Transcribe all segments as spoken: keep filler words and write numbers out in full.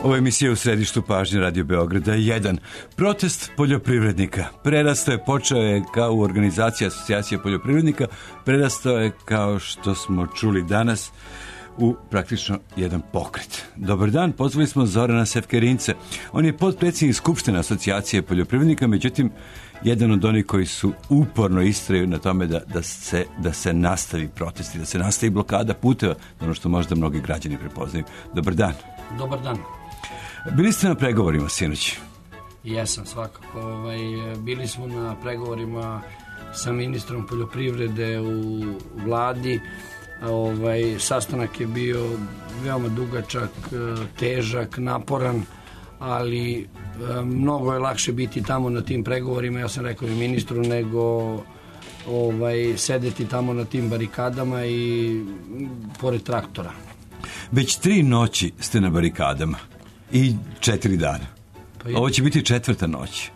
Ovo je emisija u središtu pažnje Radio Beograda jedan. Protest poljoprivrednika. Prerastao je, počeo je kao u organizaciji asocijacije poljoprivrednika, prerastao je, kao što smo čuli danas, u praktično jedan pokret. Dobar dan, pozvali smo Zorana Sefkerince. On je potpredsjednik Skupštine asocijacije poljoprivrednika, međutim, jedan od onih koji su uporno istraju na tome da, da, se, da se nastavi protesti, da se nastavi blokada puteva, ono što možda mnogi građani prepoznaju. Dobar dan. Dobar dan. Bili ste na pregovorima sinoć? Jesam, svakako. Ovaj, bili smo na pregovorima sa ministrom poljoprivrede u vladi. Ovaj, sastanak je bio veoma dugačak, težak, naporan, ali mnogo je lakše biti tamo na tim pregovorima, ja sam rekao i ministru, nego ovaj, sedeti tamo na tim barikadama i pored traktora. Već tri noći ste na barikadama i četiri dana. Pa ovo će biti četvrta noć.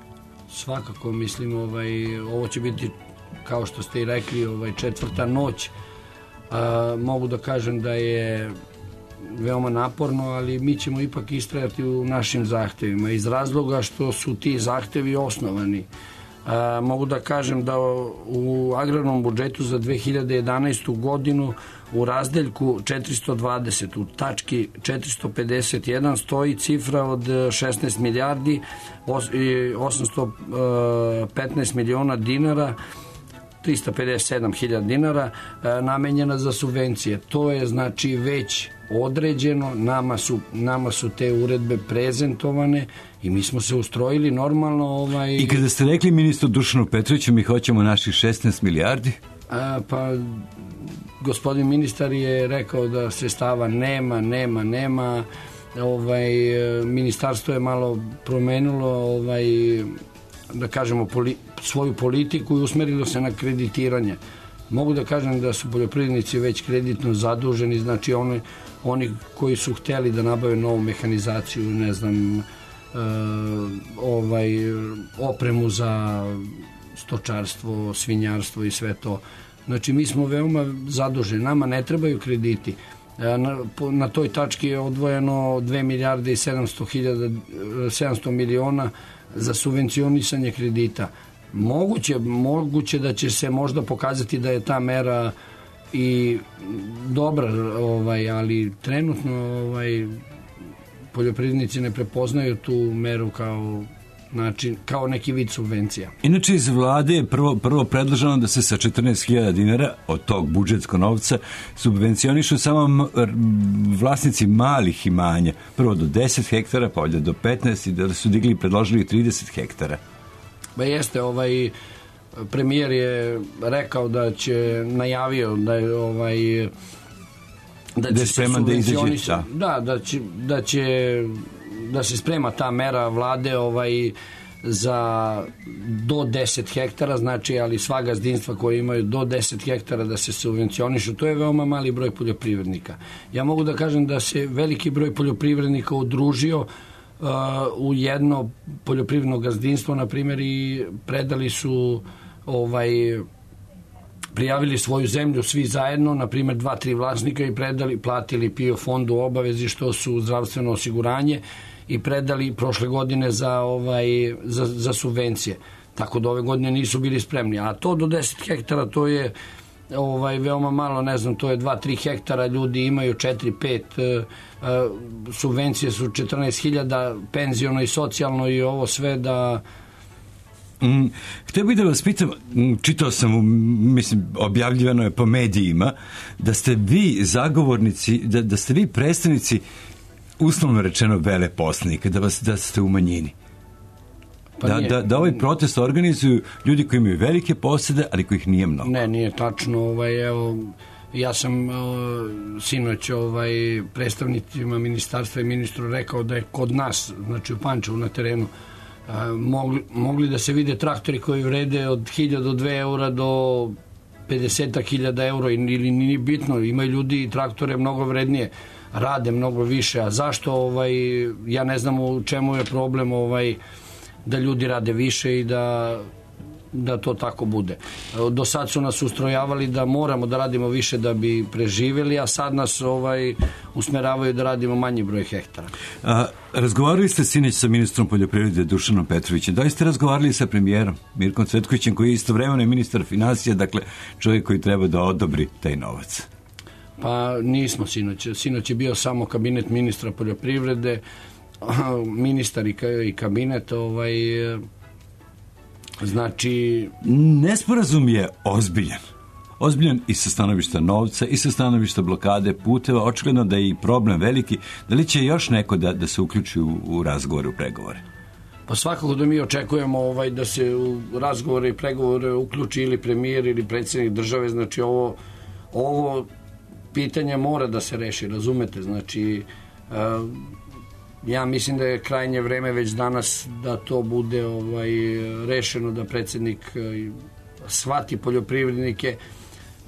Svakako, mislim, ovaj, ovo će biti, kao što ste i rekli, ovaj, četvrta noć. A, mogu da kažem da je veoma naporno, ali mi ćemo ipak istrajati u našim zahtevima iz razloga što su ti zahtevi osnovani. A, mogu da kažem da u agrarnom budžetu za dve hiljade jedanaestu godinu u razdeljku četiristo dvadeset, u tački četiristo pedeset jedan stoji cifra od šesnaest milijardi osamsto petnaest miliona dinara, trista pedeset sedam hiljada dinara namenjena za subvencije. To je znači već određeno, nama su, nama su te uredbe prezentovane i mi smo se ustrojili normalno. Ovaj... I kada ste rekli ministru Dušanu Petroviću mi hoćemo naših šesnaest milijardi? A, pa gospodin ministar je rekao da sredstava nema, nema, nema. Ovaj, ministarstvo je malo promenilo ovaj, da kažemo poli, svoju politiku i usmerilo se na kreditiranje. Mogu da kažem da su poljoprivrednici već kreditno zaduženi, znači oni, oni koji su hteli da nabave novu mehanizaciju, ne znam, e, ovaj, opremu za stočarstvo, svinjarstvo i sve to. Znači mi smo veoma zaduženi, nama ne trebaju krediti. Na, na toj tački je odvojeno dve milijarde i sedamsto hiljada, sedamsto miliona za subvencionisanje kredita. Moguće, moguće da će se možda pokazati da je ta mera i dobra, ovaj, ali trenutno ovaj, poljoprivrednici ne prepoznaju tu meru kao način, kao neki vid subvencija. Inače iz vlade je prvo, prvo predloženo da se sa četrnaest hiljada dinara od tog budžetskog novca subvencionišu samo vlasnici malih imanja. Prvo do deset hektara, pa ovdje do petnaest i da su digli i predložili trideset hektara. Ba jeste, ovaj premijer je rekao da će, najavio da je ovaj da, da će se subvencionisati. Da, da, da će, da će da se sprema ta mera vlade ovaj za do deset hektara, znači, ali sva gazdinstva koje imaju do deset hektara da se subvencionišu, to je veoma mali broj poljoprivrednika. Ja mogu da kažem da se veliki broj poljoprivrednika udružio uh, u jedno poljoprivredno gazdinstvo, na primjer, i predali su ovaj prijavili svoju zemlju svi zajedno, na primjer dva, tri vlasnika, i predali, platili PIO fondu obavezi što su zdravstveno osiguranje i predali prošle godine za, ovaj, za, za subvencije. Tako da ove godine nisu bili spremni. A to do deset hektara, to je ovaj, veoma malo, ne znam, to je dva, tri hektara, ljudi imaju četiri, pet, uh, subvencije su četrnaest hiljada, penziono i socijalno i ovo sve da... Mm, htio bih da vas pitam, čitao sam, mislim, objavljivano je po medijima, da ste vi zagovornici, da, da ste vi predstavnici, uslovno rečeno, veleposlanika, da, vas, da ste u manjini. Pa da, da, da ovaj protest organizuju ljudi koji imaju velike posede, ali kojih nije mnogo. Ne, nije tačno. Ovaj, evo, ja sam o, sinoć ovaj, predstavnicima ministarstva i ministru rekao da je kod nas, znači u Pančevu na terenu, a, mogli, mogli da se vide traktori koji vrede od hiljadu do dve eura do pedeset hiljada eura, ili nije bitno, imaju ljudi i traktore mnogo vrednije, rade mnogo više. A zašto, ovaj, ja ne znam u čemu je problem, ovaj, da ljudi rade više i da da to tako bude. Do sad su nas ustrojavali da moramo da radimo više da bi preživjeli, a sad nas ovaj usmeravaju da radimo manji broj hektara. A, razgovarali ste sinoć sa ministrom poljoprivrede Dušanom Petrovićem. Da li ste razgovarali sa premijerom Mirkom Cvetkovićem, koji je istovremeno ministar finansija, dakle čovjek koji treba da odobri taj novac? Pa nismo sinoć. Sinoć je bio samo kabinet ministra poljoprivrede, ministar i kabinet, ovaj, znači... Nesporazum je ozbiljan. Ozbiljan i sa stanovišta novca, i sa stanovišta blokade puteva. Očigledno da je i problem veliki. Da li će još neko da, da se uključi u, u razgovore, u pregovore? Pa svakako da mi očekujemo ovaj, da se u razgovore i pregovore uključi ili premijer ili predsjednik države. Znači ovo, ovo pitanje mora da se reši, razumete? Znači... Uh, ja mislim da je krajnje vreme već danas da to bude ovaj, rešeno, da predsjednik shvati poljoprivrednike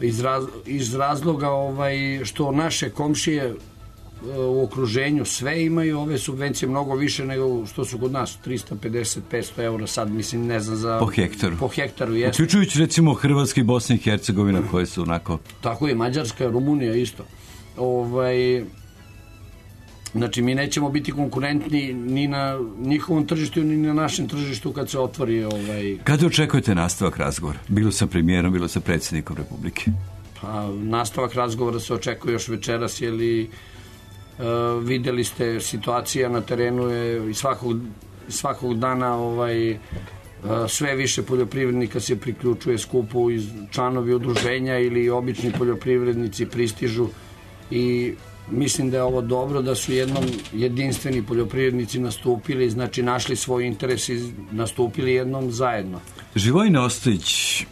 iz, raz, iz razloga ovaj, što naše komšije u okruženju sve imaju ove subvencije mnogo više nego što su kod nas, trista pedeset do petsto eura sad, mislim, ne znam za... Po hektaru. Po hektaru, jeste. Uključujući recimo Hrvatska i Bosna i Hercegovina koje su onako... Tako je, Mađarska, Rumunija isto. Ovaj... Znači, mi nećemo biti konkurentni ni na njihovom tržištu, ni na našem tržištu kad se otvori... Ovaj... Kada očekujete nastavak razgovora? Bilo sa premijerom, bilo sa predsjednikom Republike? Pa, nastavak razgovora se očekuje još večeras, jer li uh, videli ste, situacija na terenu je i svakog, svakog dana ovaj, uh, sve više poljoprivrednika se priključuje skupu, iz članovi udruženja ili obični poljoprivrednici pristižu i mislim da je ovo dobro, da su jednom jedinstveni poljoprivrednici nastupili, znači našli svoj interes i nastupili jednom zajedno. Živojin Ostojić,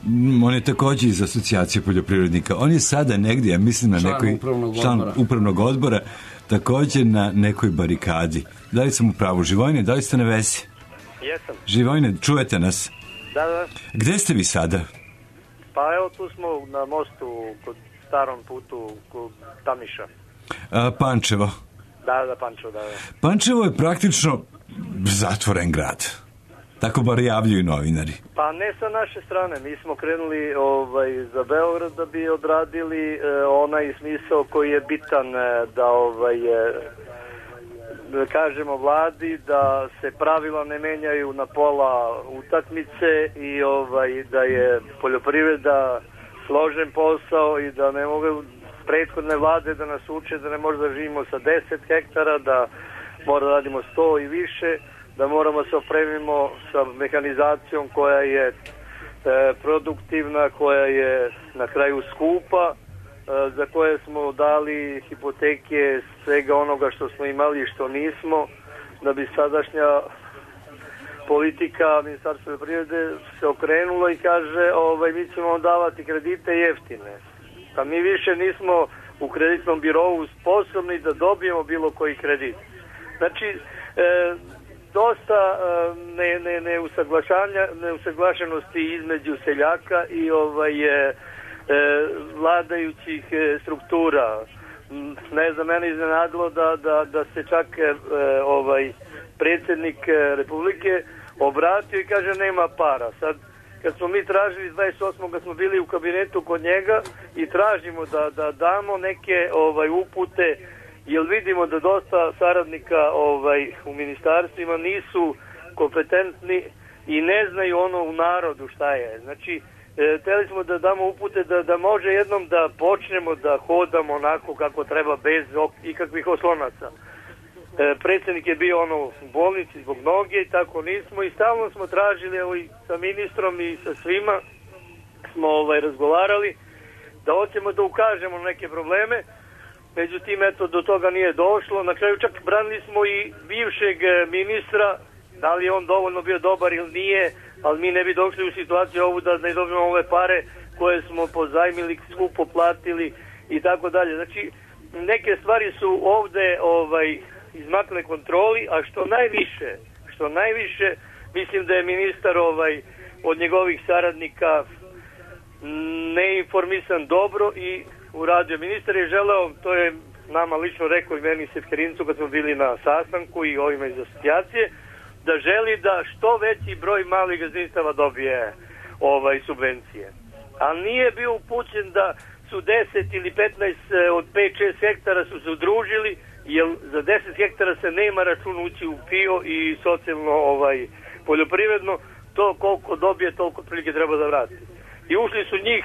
on je također iz asocijacije poljoprivrednika. On je sada negdje, ja mislim na član nekoj upravnog član odbora. upravnog odbora, također na nekoj barikadi. Da li sam u pravu? Živojine, da li ste na vezi? Jesam. Živojine, čujete nas? Da, da. Gde ste vi sada? Pa evo tu smo na mostu kod starom putu kod Tamiša. A, Pančevo. Da, da, Pančevo, da, da. Pančevo je praktično zatvoren grad. Tako bar javljaju novinari. Pa ne sa naše strane. Mi smo krenuli ovaj, za Beograd da bi odradili eh, onaj smisao koji je bitan eh, da ovaj, eh, da kažemo vladi da se pravila ne menjaju na pola utakmice i ovaj, da je poljoprivreda složen posao i da ne mogu prethodne vlade da nas uče da ne možemo da živimo sa deset hektara, da moramo da radimo sto i više, da moramo se opremimo sa mehanizacijom koja je e, produktivna, koja je na kraju skupa, e, za koje smo dali hipoteke svega onoga što smo imali i što nismo, da bi sadašnja politika Ministarstva poljoprivrede se okrenula i kaže ovaj, mi ćemo vam davati kredite jeftine. Pa mi više nismo u kreditnom birovu sposobni da dobijemo bilo koji kredit. Znači, e, dosta e, ne, ne, neusaglašenosti između seljaka i ovaj, e, vladajućih e, struktura. Ne znam, mene iznenadilo da, da, da se čak e, ovaj, predsjednik Republike obratio i kaže nema para. Sad, kad smo mi tražili dvadeset osmog kad smo bili u kabinetu kod njega i tražimo da, da damo neke ovaj, upute, jer vidimo da dosta saradnika ovaj, u ministarstvima nisu kompetentni i ne znaju ono u narodu šta je. Znači, e, hteli smo da damo upute da, da može jednom da počnemo da hodamo onako kako treba bez ikakvih oslonaca. E, predsjednik je bio ono u bolnici zbog noge i tako nismo i stalno smo tražili, evo i sa ministrom i sa svima smo ovaj, razgovarali da hoćemo da ukažemo na neke probleme, međutim eto do toga nije došlo. Na kraju čak branili smo i bivšeg ministra, da li je on dovoljno bio dobar ili nije, ali mi ne bi došli u situaciju ovu da ne dobijemo ove pare koje smo pozajmili, skupo platili i tako dalje. Znači neke stvari su ovde ovaj izmakle kontroli, a što najviše, što najviše, mislim da je ministar ovaj, od njegovih saradnika neinformisan dobro i uradio. Ministar je želeo, to je nama lično rekao i meni Sefkerincu kad smo bili na sastanku i ovima iz asocijacije, da želi da što veći broj malih gazdinstava dobije ovaj subvencije. A nije bio upućen da su deset ili petnaest od pet šest hektara su se udružili, jer za deset hektara se nema račun ući u P I O i socijalno ovaj, poljoprivredno, to koliko dobije, toliko prilike treba da vrati. I ušli su njih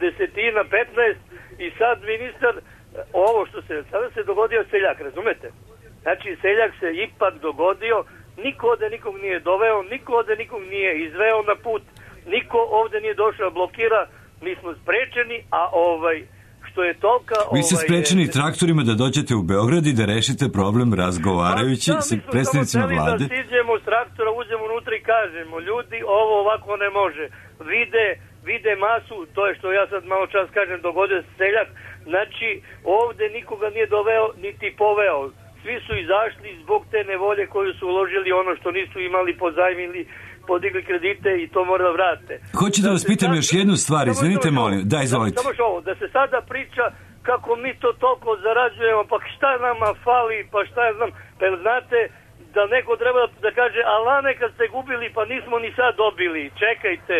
desetina, petnaest i sad ministar, ovo što se, sada se dogodio seljak, razumete? Znači seljak se ipak dogodio, niko ovde nikog nije doveo, niko ovde nikog nije izveo na put, niko ovde nije došao blokira, mi smo sprečeni, a ovaj, što je tolika... Vi ste ovaj, sprečeni je, traktorima da dođete u Beograd i da rešite problem razgovarajući pa, sa predstavnicima vlade. Da siđemo s traktora, uđemo unutra i kažemo, ljudi, ovo ovako ne može. Vide, vide masu, to je što ja sad malo čas kažem, dogodio se seljak, znači ovde nikoga nije doveo, niti poveo. Svi su izašli zbog te nevolje koju su uložili ono što nisu imali, pozajmili, podigli kredite i to mora da vrate. Hoću da, da vas pitam sad, još jednu stvar, izvinite molim. Da, izvolite. Samo što ovo, da se sada priča kako mi to toliko zarađujemo, pa šta nama fali, pa šta ja znam, pa znate da neko treba da kaže, alane kad ste gubili, pa nismo ni sad dobili, čekajte,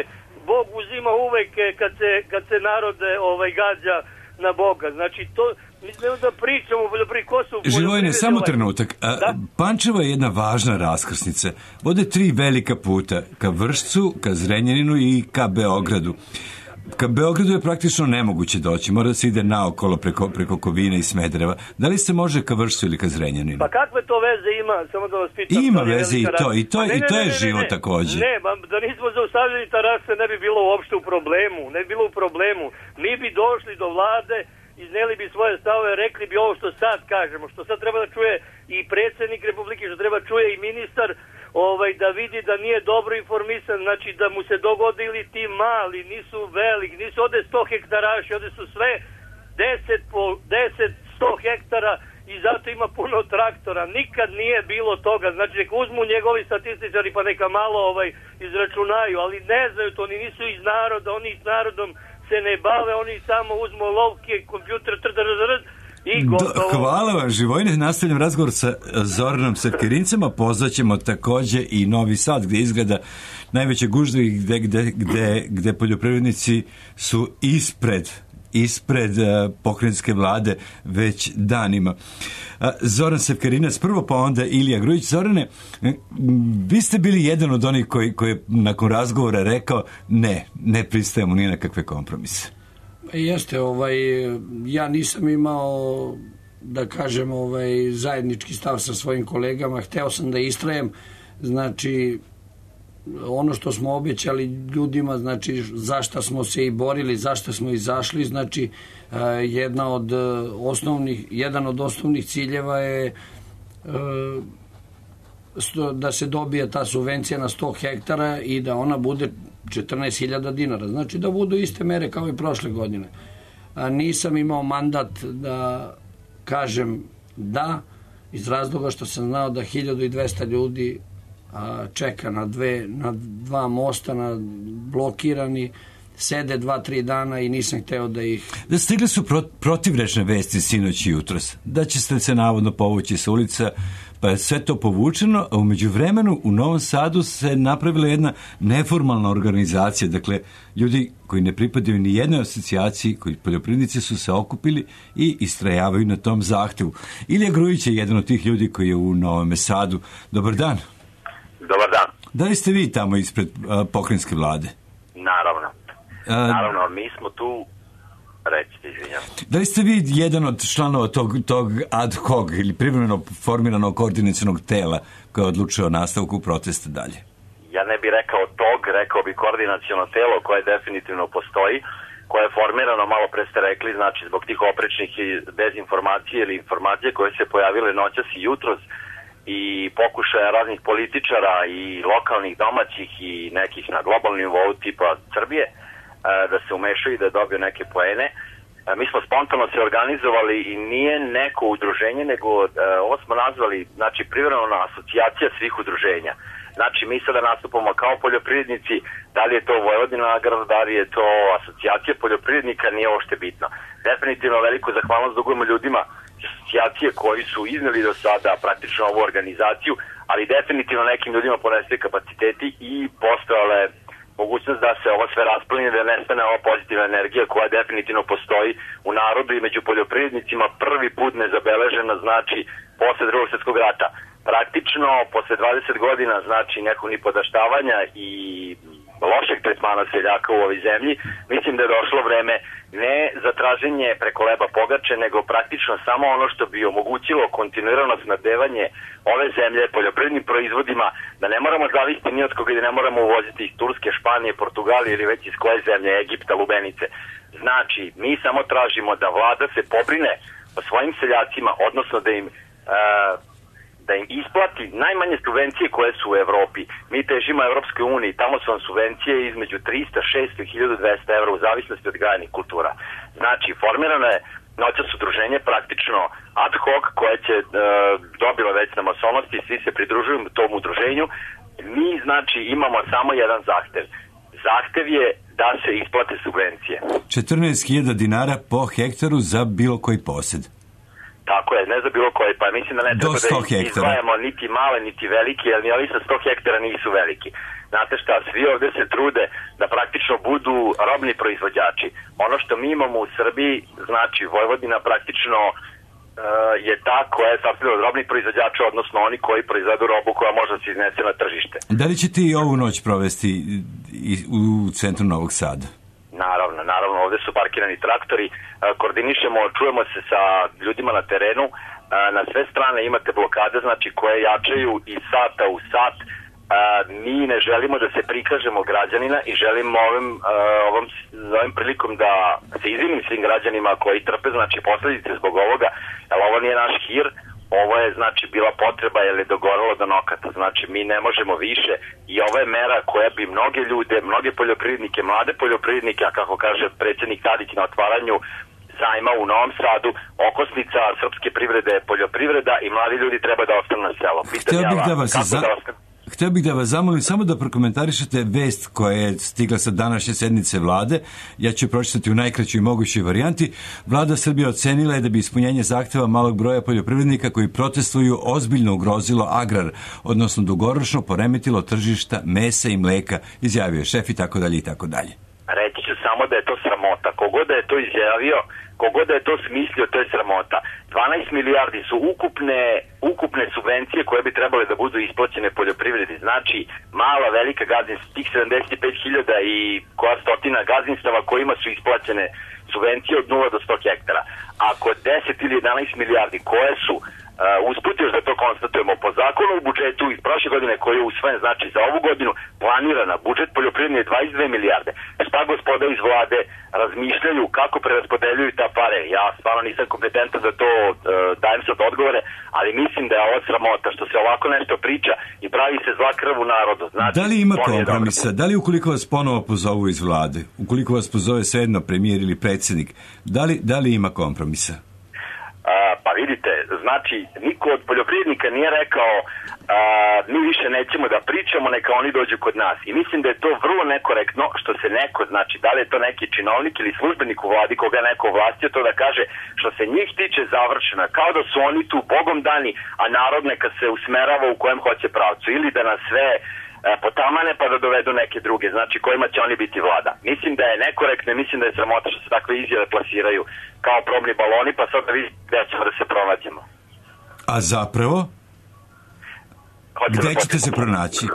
Bog uzima uvek kad se, kad se narode ovaj, gađa na Boga, znači to mi smo da pričamo o poljoprivredi, ko su Živojine, samo trenutak. A, da? Pančevo je jedna važna raskrsnica. Vode tri velika puta, ka Vršcu, ka Zrenjaninu i ka Beogradu. Ka Beogradu je praktično nemoguće doći, mora da se ide naokolo preko, preko Kovina i Smedereva. Da li se može ka Vršcu ili ka Zrenjaninu? Pa kakve to veze ima, samo da vas pitam. Ima veze i to, i to, ne, i to ne, je ne, ne, život ne, takođe. Ne, ba, da nismo zaustavljeni tarase ne bi bilo uopšte u problemu, ne bi bilo u problemu. Mi bi došli do vlade, izneli bi svoje stavove, rekli bi ovo što sad kažemo, što sad treba da čuje i predsjednik Republike, što treba čuje i ministar, ovaj, da vidi da nije dobro informisan, znači da mu se dogodili ti mali, nisu veliki, nisu ovde sto hektaraši, ovde su sve deset po deset, sto hektara i zato ima puno traktora. Nikad nije bilo toga, znači neka uzmu njegovi statističari pa neka malo ovaj, izračunaju, ali ne znaju to, oni nisu iz naroda, oni s narodom se ne bave, oni samo uzmu lovke, kompjuter, trrrrrrr i gotovo. Hvala vam, Živojine. Nastavljam razgovor sa Zoranom Sevkerincem, a pozvaćemo takođe i Novi Sad, gde izgleda najveće gužve i gde, gde, gde, gde poljoprivrednici su ispred ispred uh, pokrajinske vlade već danima. Uh, Zoran Sevkerinac prvo, pa onda Ilija Grujić. Zorane, vi ste bili jedan od onih koji, koji je nakon razgovora rekao ne, ne pristajemo ni na kakve kompromise. Jeste, ovaj, ja nisam imao, da kažem, ovaj, zajednički stav sa svojim kolegama, hteo sam da istrajem, znači ono što smo obećali ljudima, znači zašto smo se i borili, zašto smo izašli, znači jedna od osnovnih, jedan od osnovnih ciljeva je da se dobije ta subvencija na sto hektara i da ona bude četrnaest hiljada dinara, znači da budu iste mere kao i prošle godine. A nisam imao mandat da kažem da, iz razloga što sam znao da hiljadu i dvesta ljudi a, čeka na, dve, na dva mosta, na blokirani, sede dva, tri dana i nisam hteo da ih... Da stigli su pro, protivrečne vesti sinoć i jutros, da će se navodno povući sa ulica, pa je sve to povučeno, a umeđu vremenu u Novom Sadu se napravila jedna neformalna organizacija, dakle, ljudi koji ne pripadaju ni jednoj asocijaciji, koji poljoprivrednici su se okupili i istrajavaju na tom zahtevu. Ilija Grujić je jedan od tih ljudi koji je u Novom Sadu. Dobar dan. Dobar dan. Da li ste vi tamo ispred uh, pokrajinske vlade? Naravno. Uh, Naravno, mi smo tu... Recite, izvinjam. Da li ste vi jedan od članova tog, tog ad hoc ili privremeno formiranog koordinacionog tela koje odlučuje o nastavku protesta dalje? Ja ne bih rekao tog, rekao bi koordinaciono telo koje definitivno postoji, koje je formirano, malo pre ste rekli, znači zbog tih oprečnih dezinformacije ili informacije koje se pojavile noćas i jutros i pokušaja raznih političara i lokalnih, domaćih i nekih na globalnom nivou tipa Srbije, da se umešaju i da dobiju neke poene. Mi smo spontano se organizovali i nije neko udruženje, nego ovo smo nazvali, znači, privremena asocijacija svih udruženja. Znači, mi sada nastupamo kao poljoprivrednici, da li je to Vojvodina Agrar, da li je to asocijacija poljoprivrednika, nije uopšte bitno. Definitivno veliku zahvalnost dugujemo ljudima asocijacije koji su izneli do sada praktično ovu organizaciju, ali definitivno nekim ljudima ponestaju kapaciteti i postojale mogućnost da se ovo sve rasplini, da nestane ova pozitivna energija koja definitivno postoji u narodu i među poljoprivrednicima prvi put nezabeležena, znači posle drugog svjetskog rata. Praktično, posle dvadeset godina, znači nekog nipodaštavanja i lošeg tretmana seljaka u ovoj zemlji, mislim da je došlo vreme ne za traženje preko leba pogače, nego praktično samo ono što bi omogućilo kontinuirano snabdevanje ove zemlje poljoprivrednim proizvodima, da ne moramo zavisiti ni od koga i da ne moramo uvoziti iz Turske, Španije, Portugalije ili već iz koje zemlje, Egipta, lubenice. Znači, mi samo tražimo da vlada se pobrine o svojim seljacima, odnosno da im uh, da im isplati najmanje subvencije koje su u Evropi. Mi težimo Evropskoj uniji, tamo su vam subvencije između trista, šesto i hiljadu dvesta evra u zavisnosti od gajenih kultura. Znači, formirano je noćas udruženje praktično ad hoc koje će e, dobila već na masovnosti, svi se pridružuju tom udruženju. Mi, znači, imamo samo jedan zahtev. Zahtev je da se isplate subvencije. četrnaest hiljada dinara po hektaru za bilo koji posed. Tako je, ne za bilo koji, pa mislim da ne treba da izdvajamo niti male, niti velike, jer ni ovi sa sto hektara nisu veliki. Znate šta, svi ovde se trude da praktično budu robni proizvođači. Ono što mi imamo u Srbiji, znači Vojvodina praktično uh, je ta koja je sastavljena od robnih proizvođača, odnosno oni koji proizvedu robu koja može da se iznese na tržište. Da li ćete i ovu noć provesti u centru Novog Sada? Naravno, naravno, ovde su parkirani traktori, koordinišemo, čujemo se sa ljudima na terenu, na sve strane imate blokade, znači koje jačaju iz sata u sat. Mi ne želimo da se prikažemo građanina i želimo ovim, ovom, ovim prilikom da se izvinim svim građanima koji trpe, znači posledice zbog ovoga, jer ovo nije naš hir. Ovo je, znači, bila potreba jer je dogoralo do nokata. Znači, mi ne možemo više i ovo je mera koja bi mnoge ljude, mnoge poljoprivrednike, mlade poljoprivrednike, a kako kaže predsjednik Tadić na otvaranju zajma u Novom Sadu, okosnica srpske privrede je poljoprivreda i mladi ljudi treba da ostanu na selo. Htio bih da vas za... da ostanu... Htio bih da vas zamolim samo da prokomentarišete vest koja je stigla sa današnje sednice vlade. Ja ću pročitati u najkraćoj mogućoj varijanti. Vlada Srbije ocenila je da bi ispunjenje zahteva malog broja poljoprivrednika koji protestuju ozbiljno ugrozilo agrar, odnosno dugoročno poremetilo tržišta mesa i mleka, izjavio je šef i tako dalje i tako dalje. Reći ću samo da je to sramota. Kogod da je to izjavio, kogod da je to smislio, to je sramota. dvanaest milijardi su ukupne, ukupne subvencije koje bi trebale da budu isplaćene poljoprivredi. Znači, mala, velika gazdinstva, tih sedamdeset pet hiljada i koja stotina gazdinstava kojima su isplaćene subvencije od nula do sto hektara. Ako deset ili jedanaest milijardi koje su Uh, usput još da to konstatujemo po zakonu u budžetu iz prošle godine koji je usvojen, znači za ovu godinu planirana budžet poljoprivredne je dvadeset dve milijarde. Šta gospoda iz vlade razmišljaju kako preraspodeljuju ta pare? Ja stvarno nisam kompetentan da to uh, dajem sad odgovore, ali mislim da je ovo sramota što se ovako nešto priča i pravi se zla krv u narodu. Znači, da li ima kompromisa? Da li ukoliko vas ponovo pozovu iz vlade, ukoliko vas pozove svejedno premijer ili predsjednik, da li, da li ima kompromisa? Uh, pa vidite, znači niko od poljoprivrednika nije rekao uh, mi više nećemo da pričamo, neka oni dođu kod nas. I mislim da je to vrlo nekorektno što se neko, znači da li je to neki činovnik ili službenik u vladi koga je neko ovlastio to da kaže što se njih tiče završena, kao da su oni tu bogom dani, a narod neka se usmerava u kojem hoće pravcu ili da nas sve potamane pa da dovedu neke druge, znači kojima će oni biti vlada. Mislim da je nekorektno i mislim da je sramota što se takve izjave plasiraju kao probni baloni, pa sad da vidite gde ćemo da se pronađemo. A zapravo? Hoće gde da ćete se pronaći?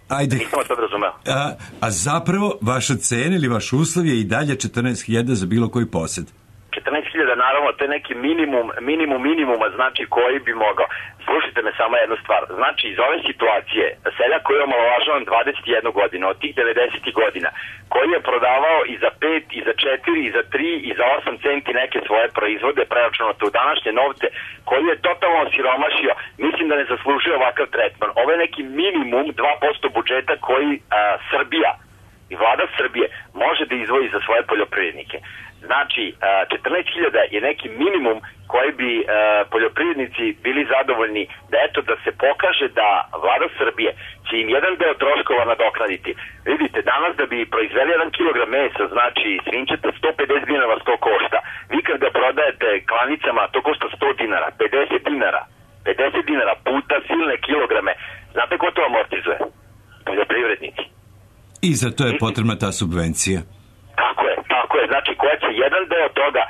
Ajde. Nisam vas sad razumeo. A, a zapravo vaša cena ili vaš uslov je i dalje četrnaest hiljada za bilo koji posed? četrnaest hiljada, naravno, to je neki minimum, minimum minimuma, znači koji bi mogao. Slušajte me samo jednu stvar. Znači, iz ove situacije, seljak koji je omalovažavan dvadeset jednu godinu, od tih devedesetih godina, koji je prodavao i za pet, i za četiri, i za tri, i za osam centi neke svoje proizvode, preračunate u današnje novce, koji je totalno siromašio, mislim da ne zaslužuje ovakav tretman. Ovo je neki minimum dva posto budžeta koji a, Srbija i vlada Srbije može da izdvoji za svoje poljoprivrednike. Znači, četrnaest hiljada je neki minimum koji bi e, poljoprivrednici bili zadovoljni da eto da se pokaže da vlada Srbije će im jedan deo troškova nadoknaditi. Vidite, danas da bi proizveli jedan kilogram mesa, znači svinčeta sto pedeset dinara sto košta. Vi kad ga prodajete klanicama, to košta sto dinara, pedeset dinara. pedeset dinara puta silne kilograme. Znate ko to amortizuje? To poljoprivrednici. I za to je potrebna ta subvencija. Tako je, tako je. Znači, koja će jedan deo toga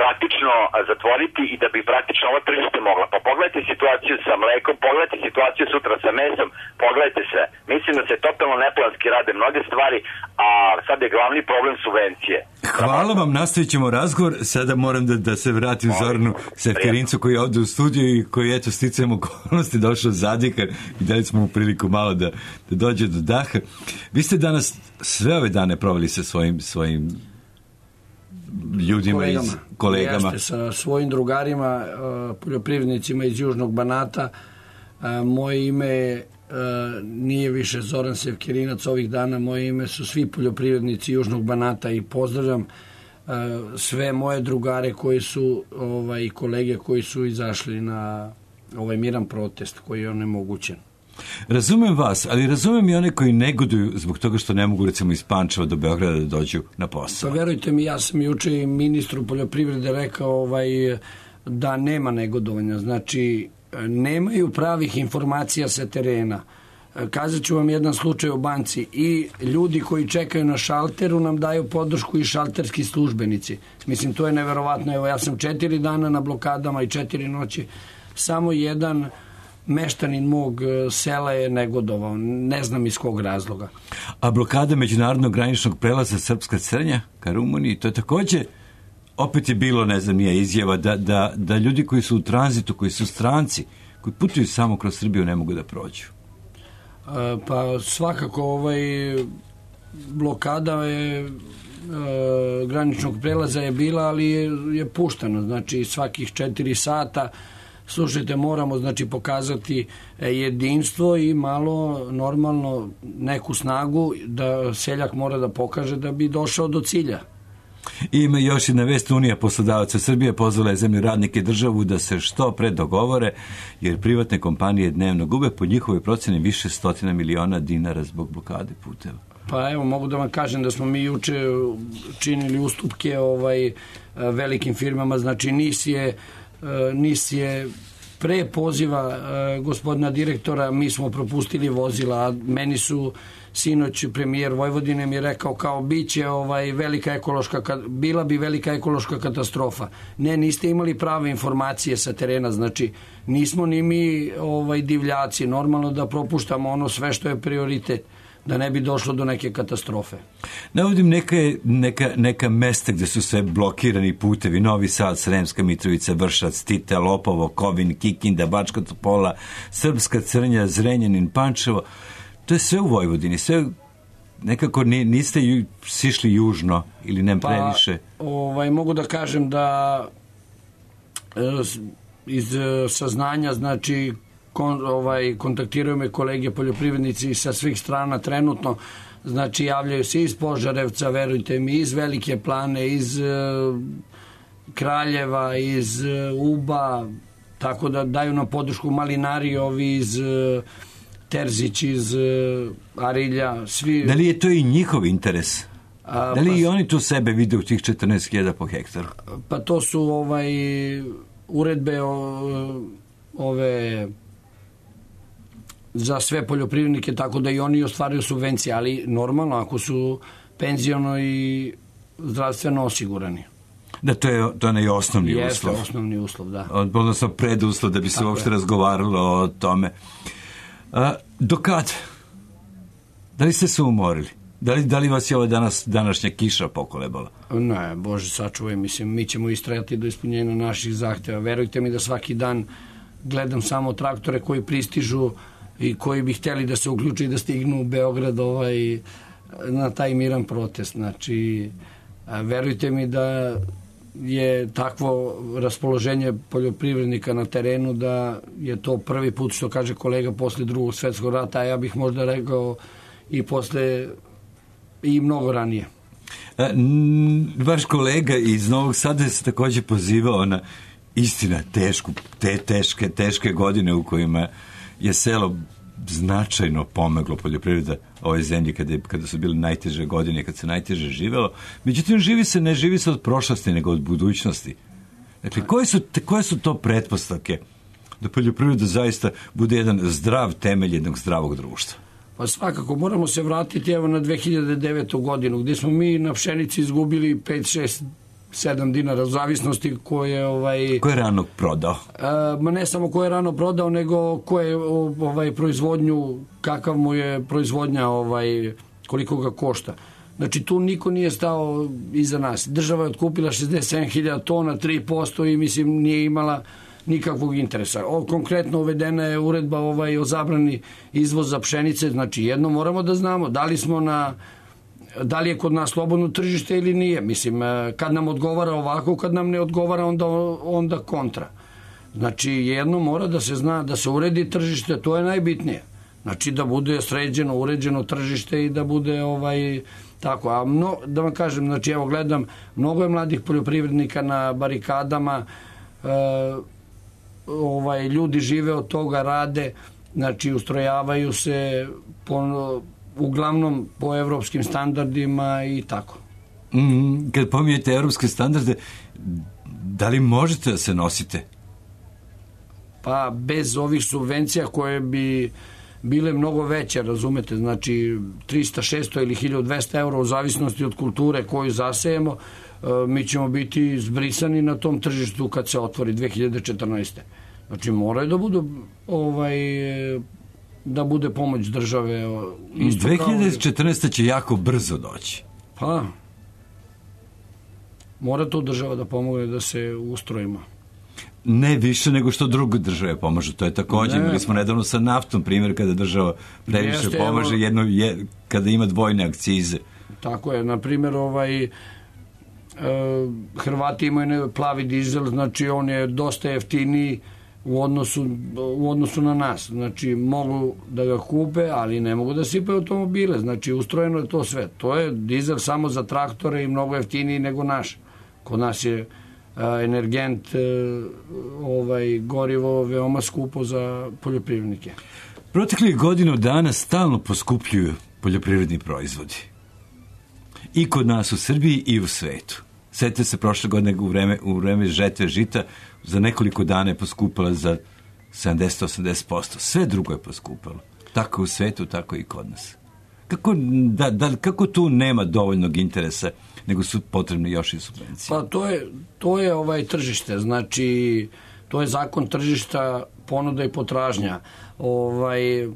praktično zatvoriti i da bi praktično ovo tržište mogla. Pa pogledajte situaciju sa mlekom, pogledajte situaciju sutra sa mesom, pogledajte sve. Mislim da se totalno neplanski rade mnoge stvari, a sad je glavni problem subvencije. Hvala vam, nastavit ćemo razgovor. Sada moram da, da se vratim Zoranu Sefkerincu koji je ovde u studiju i koji, eto, sticajem okolnosti došao zadika i dali smo mu priliku malo da, da dođe do daha. Vi ste danas sve ove dane proveli sa svojim, svojim ljudima, kolegama. iz kolegama. Jeste, sa svojim drugarima, poljoprivrednicima iz Južnog Banata. Moje ime nije više Zoran Sefkerinac ovih dana, moje ime su svi poljoprivrednici Južnog Banata i pozdravljam sve moje drugare koji su ovaj, i kolege koji su izašli na ovaj miran protest koji je onemogućen. Razumem vas, ali razumem i one koji negoduju zbog toga što ne mogu, recimo, iz Pančeva do Beograda da dođu na posao. Pa verujte mi, ja sam juče i ministru poljoprivrede rekao ovaj, da nema negodovanja. Znači, nemaju pravih informacija sa terena. Kazat ću vam jedan slučaj u banci. I ljudi koji čekaju na šalteru nam daju podršku i šalterski službenici. Mislim, to je neverovatno. Evo, ja sam četiri dana na blokadama i četiri noći. Samo jedan meštanin mog sela je negodovao, ne znam iz kog razloga. A blokada međunarodnog graničnog prelaza Srpska Crnja ka Rumuniji, to je takođe, opet je bilo, ne znam, nije izjava da, da, da ljudi koji su u tranzitu, koji su stranci, koji putuju samo kroz Srbiju, ne mogu da prođu. A, pa svakako ovaj blokada je e, graničnog prelaza je bila, ali je, je puštano, znači svakih četiri sata. Slušajte, moramo znači pokazati jedinstvo i malo normalno neku snagu da seljak mora da pokaže da bi došao do cilja. I ima još jedna vest, Unija poslodavaca Srbije pozvala je zemlju radnike i državu da se što pre dogovore, jer privatne kompanije dnevno gube po njihovoj proceni više stotina miliona dinara zbog blokade puteva. Pa evo, mogu da vam kažem da smo mi juče činili ustupke ovaj, velikim firmama, znači NIS je NIS je pre poziva uh, gospodina direktora, mi smo propustili vozila, a meni su sinoć premijer Vojvodine mi je rekao kao biće ovaj velika ekološka, bila bi velika ekološka katastrofa. Ne, niste imali prave informacije sa terena, znači nismo ni mi ovaj divljaci, normalno da propuštamo ono sve što je prioritet, da ne bi došlo do neke katastrofe. Navodim neka, neka, neka mesta gde su sve blokirani putevi, Novi Sad, Sremska Mitrovica, Vršac, Tita, Lopovo, Kovin, Kikinda, Bačka Topola, Srpska Crnja, Zrenjanin, Pančevo. To je sve u Vojvodini, sve nekako niste ju, sišli južno ili ne previše? Pa, ovaj, mogu da kažem da iz saznanja, znači Kon, ovaj, kontaktiraju me kolege poljoprivrednici sa svih strana trenutno, znači javljaju se iz Požarevca, verujte mi, iz Velike Plane, iz uh, Kraljeva, iz uh, Uba, tako da daju nam podršku Malinari, ovi iz uh, Terzić, iz uh, Arilja, svi. Da li je to i njihov interes? A, da li pa, i oni tu sebe vide u tih četrnaest hiljada po hektaru? Pa to su ovaj uredbe o, ove za sve poljoprivrednike, tako da i oni ostvaruju subvencije, ali normalno ako su penziono i zdravstveno osigurani. Da, to je, to je onaj osnovni Jeste, uslov. Jeste, osnovni uslov, da. Odnosno preduslov da bi se tako uopšte je. razgovaralo o tome. A, do kad? Da li ste se umorili? Da li, da li vas je ova danas, današnja kiša pokolebala? Ne, Bože sačuvaj, mislim, mi ćemo istrajati do ispunjenja naših zahteva. Verujte mi da svaki dan gledam samo traktore koji pristižu i koji bi hteli da se uključi i da stignu u Beograd ovaj, na taj miran protest. Znači, verujte mi da je takvo raspoloženje poljoprivrednika na terenu da je to prvi put, što kaže kolega, posle drugog svetskog rata, a ja bih možda rekao i posle i mnogo ranije. A, vaš kolega iz Novog Sada se takođe pozivao na istina tešku, te teške, teške godine u kojima je selo značajno pomoglo poljoprivreda ove zemlje kada, kada su bile najteže godine, kad se najteže živelo. Međutim, živi se, ne živi se od prošlosti, nego od budućnosti. Dakle, koje su, koje su to pretpostavke da poljoprivreda zaista bude jedan zdrav temelj jednog zdravog društva? Pa svakako, moramo se vratiti evo na dve hiljade devetu godinu, gdje smo mi na pšenici izgubili pet, šest, sedam dinara, u zavisnosti ko je... Ovaj, ko je rano prodao? A, ma ne samo ko je rano prodao, nego ko je ovaj, proizvodnju, kakav mu je proizvodnja, ovaj, koliko ga košta. Znači, tu niko nije stao iza nas. Država je otkupila šezdeset sedam hiljada tona, tri posto i mislim nije imala nikakvog interesa. O, konkretno uvedena je uredba ovaj, o zabrani izvoza pšenice, znači jedno moramo da znamo da li smo na, da li je kod nas slobodno tržište ili nije. Mislim, kad nam odgovara ovako, kad nam ne odgovara, onda, onda kontra. Znači, jedno mora da se zna, da se uredi tržište, to je najbitnije. Znači, da bude sređeno, uređeno tržište i da bude ovaj, tako. A mno, da vam kažem, znači, evo gledam, mnogo je mladih poljoprivrednika na barikadama, e, ovaj, ljudi žive od toga, rade, znači ustrojavaju se po, uglavnom po evropskim standardima i tako. Mm, kad pominjete evropske standarde, da li možete da se nosite? Pa bez ovih subvencija koje bi bile mnogo veće, razumete, znači trista, šesto ili hiljadu dvesta eura u zavisnosti od kulture koju zasejemo, mi ćemo biti zbrisani na tom tržištu kad se otvori dve hiljade četrnaeste. Znači moraju da budu ovaj, da bude pomoć države. dve hiljade četrnaeste će jako brzo doći. Pa mora to država da pomogne da se ustrojimo. Ne više nego što druge države pomažu. To je također, imali smo nedavno sa naftom primjer kada država previše Jeste, pomaže evo, jedno, je, kada ima dvojne akcize. Tako je, na primjer ovaj e, Hrvati imaju plavi dizel, znači on je dosta jeftiniji u odnosu, u odnosu na nas. Znači mogu da ga kupe, ali ne mogu da sipaju automobile. Znači ustrojeno je to sve. To je dizel samo za traktore i mnogo jeftiniji nego naš. Kod nas je energent, ovaj, gorivo veoma skupo za poljoprivrednike. Proteklih godinu dana stalno poskupljuju poljoprivredni proizvodi. I kod nas u Srbiji i u svetu. Sjetite se prošle godine u vreme, u vreme žetve žita za nekoliko dana je poskupala za sedamdeset do osamdeset posto. Sve drugo je poskupalo. Tako u svetu, tako i kod nas. Kako, da, da, kako tu nema dovoljnog interesa, nego su potrebne još i subvencije? Pa to je, to je ovaj tržište, znači to je zakon tržišta, ponuda i potražnja. Ovaj, e,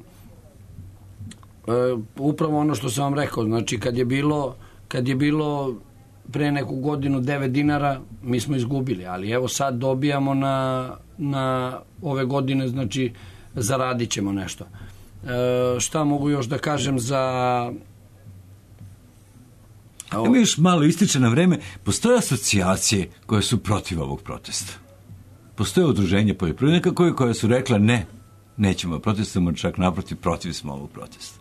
upravo ono što sam vam rekao, znači kad je bilo, kad je bilo pre neku godinu devet dinara, mi smo izgubili, ali evo sad dobijamo na, na ove godine, znači zaradit ćemo nešto. E, šta mogu još da kažem za... Evo još malo ističe na vreme, postoje asocijacije koje su protiv ovog protesta. Postoje udruženje poljoprivrednika koje, koje su rekla ne, nećemo protestujemo, čak naprotiv, protiv smo ovog protesta.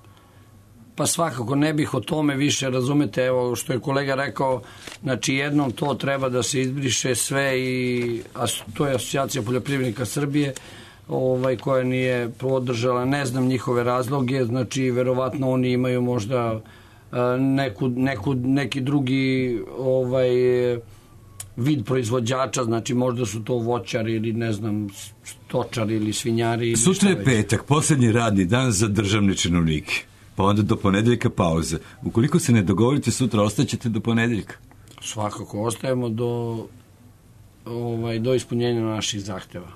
Pa svakako ne bih o tome više, razumete, evo što je kolega rekao, znači jednom to treba da se izbriše sve i a to je asocijacija poljoprivrednika Srbije, ovaj, koja nije podržala, ne znam njihove razloge, znači verovatno oni imaju možda neku, neku, neki drugi ovaj, vid proizvođača, znači možda su to voćari ili ne znam stočari ili svinjari. Ili sutra je petak, posljednji radni dan za državne činovnike, pa onda do ponedeljka pauza. Ukoliko se ne dogovorite sutra, ostaćete do ponedeljka? Svakako, ostajemo do, ovaj, do ispunjenja naših zahteva.